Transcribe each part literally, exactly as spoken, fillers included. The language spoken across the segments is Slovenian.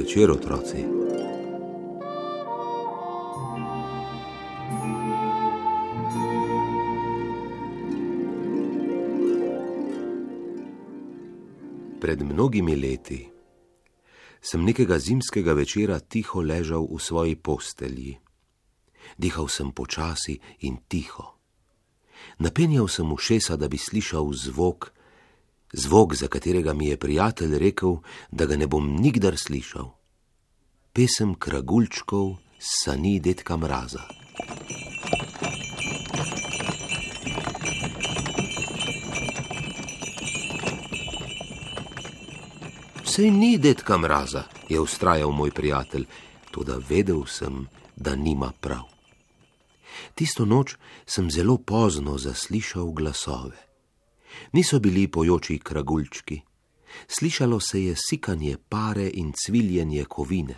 večer, otroci. Pred mnogimi leti sem nekega zimskega večera tiho ležal v svoji postelji. Dihal sem počasi in tiho. Napenjal sem ušesa, da bi slišal zvok, zvok, za katerega mi je prijatelj rekel, da ga ne bom nikdar slišal. Pesem kraguljčkov s sani dedka Mraza. Sej ni dedka Mraza, je vztrajal moj prijatelj, toda vedel sem, da nima prav. Tisto noč sem zelo pozno zaslišal glasove. Niso bili pojoči kraguljčki. Slišalo se je sikanje pare in cviljenje kovine.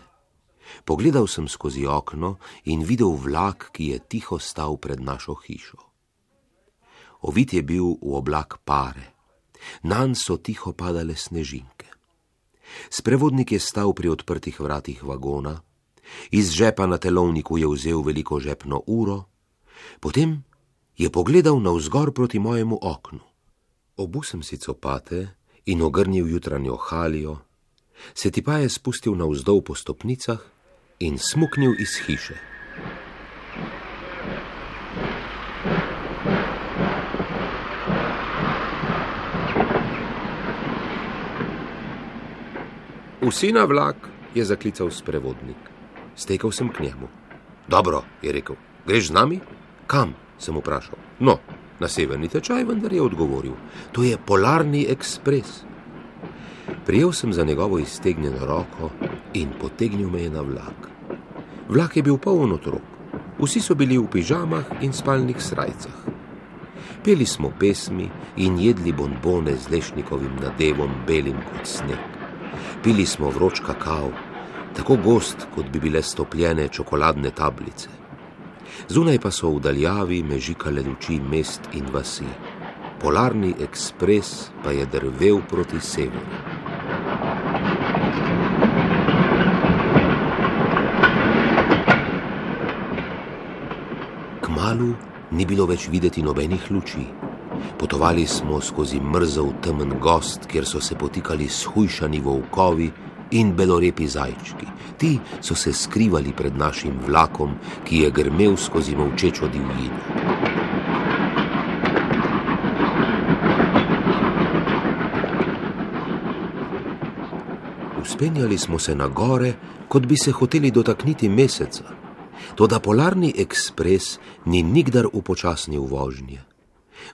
Pogledal sem skozi okno in videl vlak, ki je tiho stal pred našo hišo. Ovit je bil v oblak pare. Nanj so tiho padale snežinke. Sprevodnik je stal pri odprtih vratih vagona, iz žepa na telovniku je vzel veliko žepno uro, potem je pogledal navzgor proti mojemu oknu. Obul sem si copate in ogrnil jutranjo halijo, se ti pa je spustil navzdol po stopnicah in smuknil iz hiše. Vsi na vlak, je zaklical sprevodnik. Stekel sem k njemu. Dobro, je rekel, greš z nami? Kam, sem vprašal. No, na severni tečaj, vendar je odgovoril. To je Polarni ekspres. Prijel sem za njegovo iztegnjeno roko in potegnil me je na vlak. Vlak je bil poln otrok. Vsi so bili v pižamah in spalnih srajcah. Peli smo pesmi in jedli bonbone z lešnikovim nadevom, belim kot sneg. Pili smo vroč kakao, tako gost, kot bi bile stopljene čokoladne tablice. Zunaj pa so v daljavi mežikale luči mest in vasi. Polarni ekspres pa je drvel proti severu. Kmalu ni bilo več videti nobenih luči. Potovali smo skozi mrzel temen gost, kjer so se potikali shujšani volkovi in belorepi zajčki. Ti so se skrivali pred našim vlakom, ki je grmel skozi molčečo divjino. Vzpenjali smo se na gore, kot bi se hoteli dotakniti meseca. Toda Polarni ekspres ni nikdar upočasnil vožnje.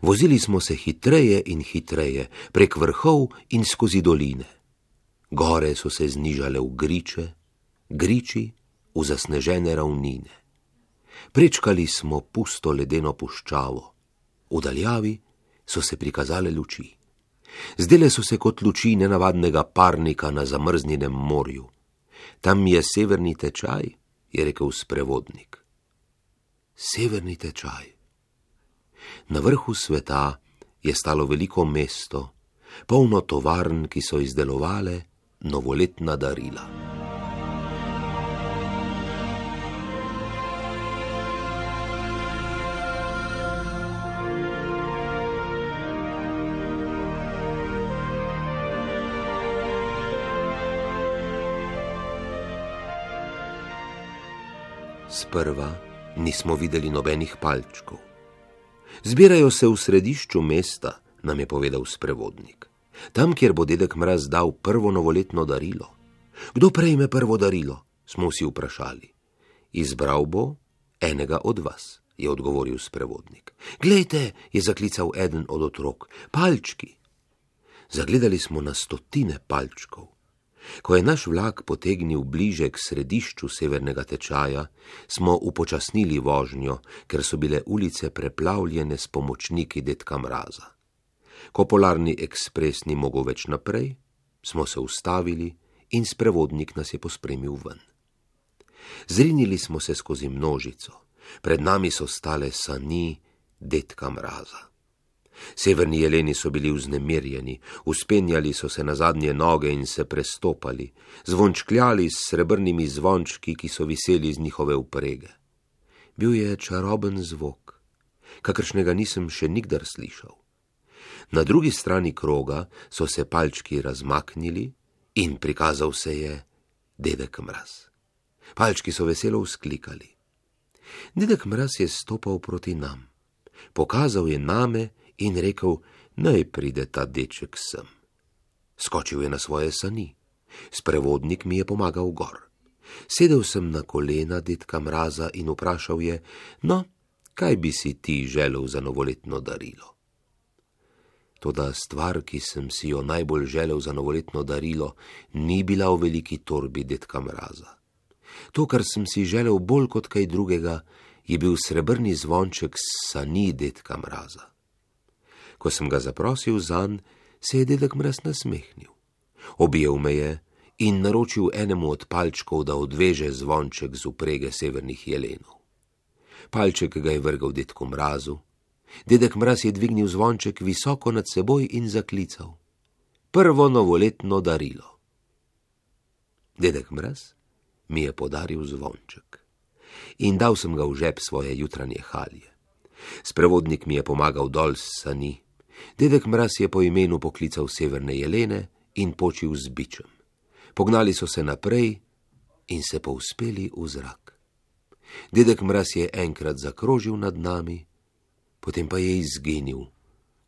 Vozili smo se hitreje in hitreje, prek vrhov in skozi doline. Gore so se znižale v griče, griči v zasnežene ravnine. Prečkali smo pusto ledeno puščavo. V daljavi so se prikazale luči. Zdele so se kot luči nenavadnega parnika na zamrznjenem morju. Tam je severni tečaj, je rekel sprevodnik. Severni tečaj. Na vrhu sveta je stalo veliko mesto, polno tovarn, ki so izdelovale novoletna darila. Sprva nismo videli nobenih palčkov. Zbirajo se v središču mesta, nam je povedal sprevodnik. Tam, kjer bo dedek Mraz dal prvo novoletno darilo. Kdo prejme prvo darilo? Smo vsi vprašali. Izbral bo enega od vas, je odgovoril sprevodnik. Glejte, je zaklical eden od otrok, palčki. Zagledali smo na stotine palčkov. Ko je naš vlak potegnil bliže k središču severnega tečaja, smo upočasnili vožnjo, ker so bile ulice preplavljene s pomočniki dedka Mraza. Ko Polarni ekspres ni mogel več naprej, smo se ustavili in sprevodnik nas je pospremil ven. Zrinili smo se skozi množico. Pred nami so stale sani dedka Mraza. Severni jeleni so bili vznemirjeni, vzpenjali so se na zadnje noge in se prestopali, zvončkljali s srebrnimi zvončki, ki so viseli z njihove vprege. Bil je čaroben zvok, kakršnega nisem še nikdar slišal. Na drugi strani kroga so se palčki razmaknili in prikazal se je Dedek Mraz. Palčki so veselo vzklikali. Dedek Mraz je stopal proti nam, pokazal je name in rekel, naj pride ta deček sem. Skočil je na svoje sani. Sprevodnik mi je pomagal gor. Sedel sem na kolena Dedka Mraza in vprašal je, no, kaj bi si ti želel za novoletno darilo? Toda stvar, ki sem si jo najbolj želel za novoletno darilo, ni bila v veliki torbi Dedka Mraza. To, kar sem si želel bolj kot kaj drugega, je bil srebrni zvonček s sani Dedka Mraza. Ko sem ga zaprosil zanj, se je Dedek Mraz nasmehnil. Objel me je in naročil enemu od palčkov, da odveže zvonček z vprege severnih jelenov. Palček ga je vrgal Dedku Mrazu. Dedek Mraz je dvignil zvonček visoko nad seboj in zaklical. Prvo novoletno darilo. Dedek Mraz mi je podaril zvonček in dal sem ga v žep svoje jutranje halje. Sprevodnik mi je pomagal dol s sani. Dedek Mraz je po imenu poklical severne jelene in počil z bičem. Pognali so se naprej in se povzpeli v zrak. Dedek Mraz je enkrat zakrožil nad nami, potem pa je izginil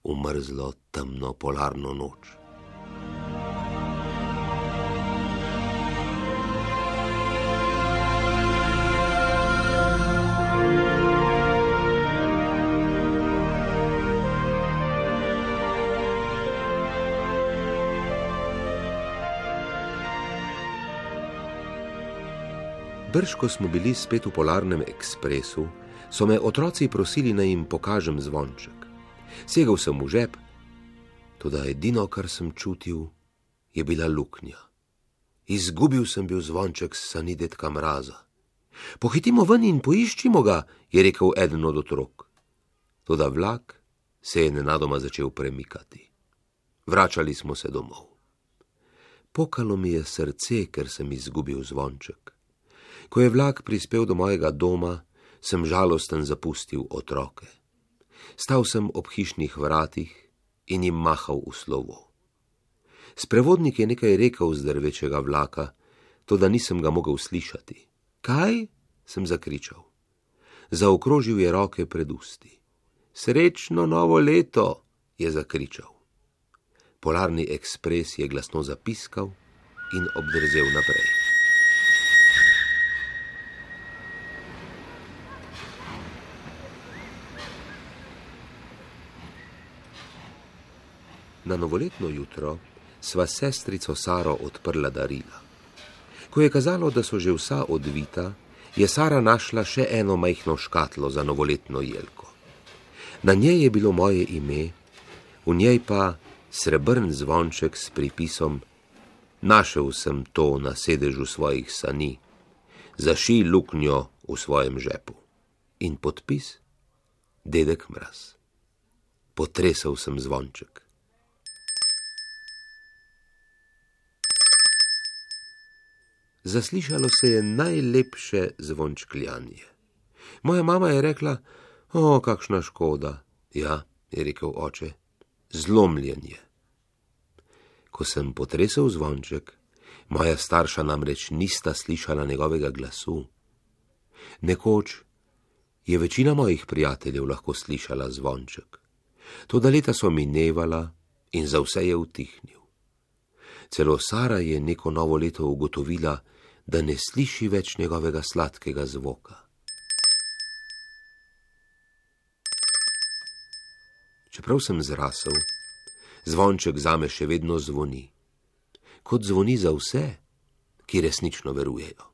v mrzlo, temno polarno noč. Brž, ko smo bili spet v polarnem ekspresu, so me otroci prosili, naj jim pokažem zvonček. Segel sem v žep, toda edino, kar sem čutil, je bila luknja. Izgubil sem bil zvonček s sani Dedka Mraza. Pohitimo ven in poiščimo ga, je rekel eden od otrok. Toda vlak se je nenadoma začel premikati. Vračali smo se domov. Pokalo mi je srce, ker sem izgubil zvonček. Ko je vlak prispel do mojega doma, sem žalosten zapustil otroke. Stal sem ob hišnih vratih in jim mahal v slovo. Sprevodnik je nekaj rekel z drvečega vlaka, toda nisem ga mogel slišati. Kaj? Sem zakričal. Zaokrožil je roke pred usti. Srečno novo leto, je zakričal. Polarni ekspres je glasno zapiskal in obdrzel naprej. Na novoletno jutro sva sestrico Saro odprla darila. Ko je kazalo, da so že vsa odvita, je Sara našla še eno majhno škatlo za novoletno jelko. Na njej je bilo moje ime, v njej pa srebrn zvonček s pripisom Našel sem to na sedežu svojih sani, zašij luknjo v svojem žepu. In podpis Dedek Mraz. Potresel sem zvonček. Zaslišalo se je najlepše zvončkljanje. Moja mama je rekla, o, kakšna škoda. Ja, je rekel oče, zlomljenje. Ko sem potresel zvonček, moja starša namreč nista slišala njegovega glasu. Nekoč je večina mojih prijateljev lahko slišala zvonček. Toda leta so minevala in za vse je utihnil. Celo Sara je neko novo leto ugotovila, da ne sliši več njegovega sladkega zvoka. Čeprav sem zrasel, zvonček zame še vedno zvoni, kot zvoni za vse, ki resnično verujejo.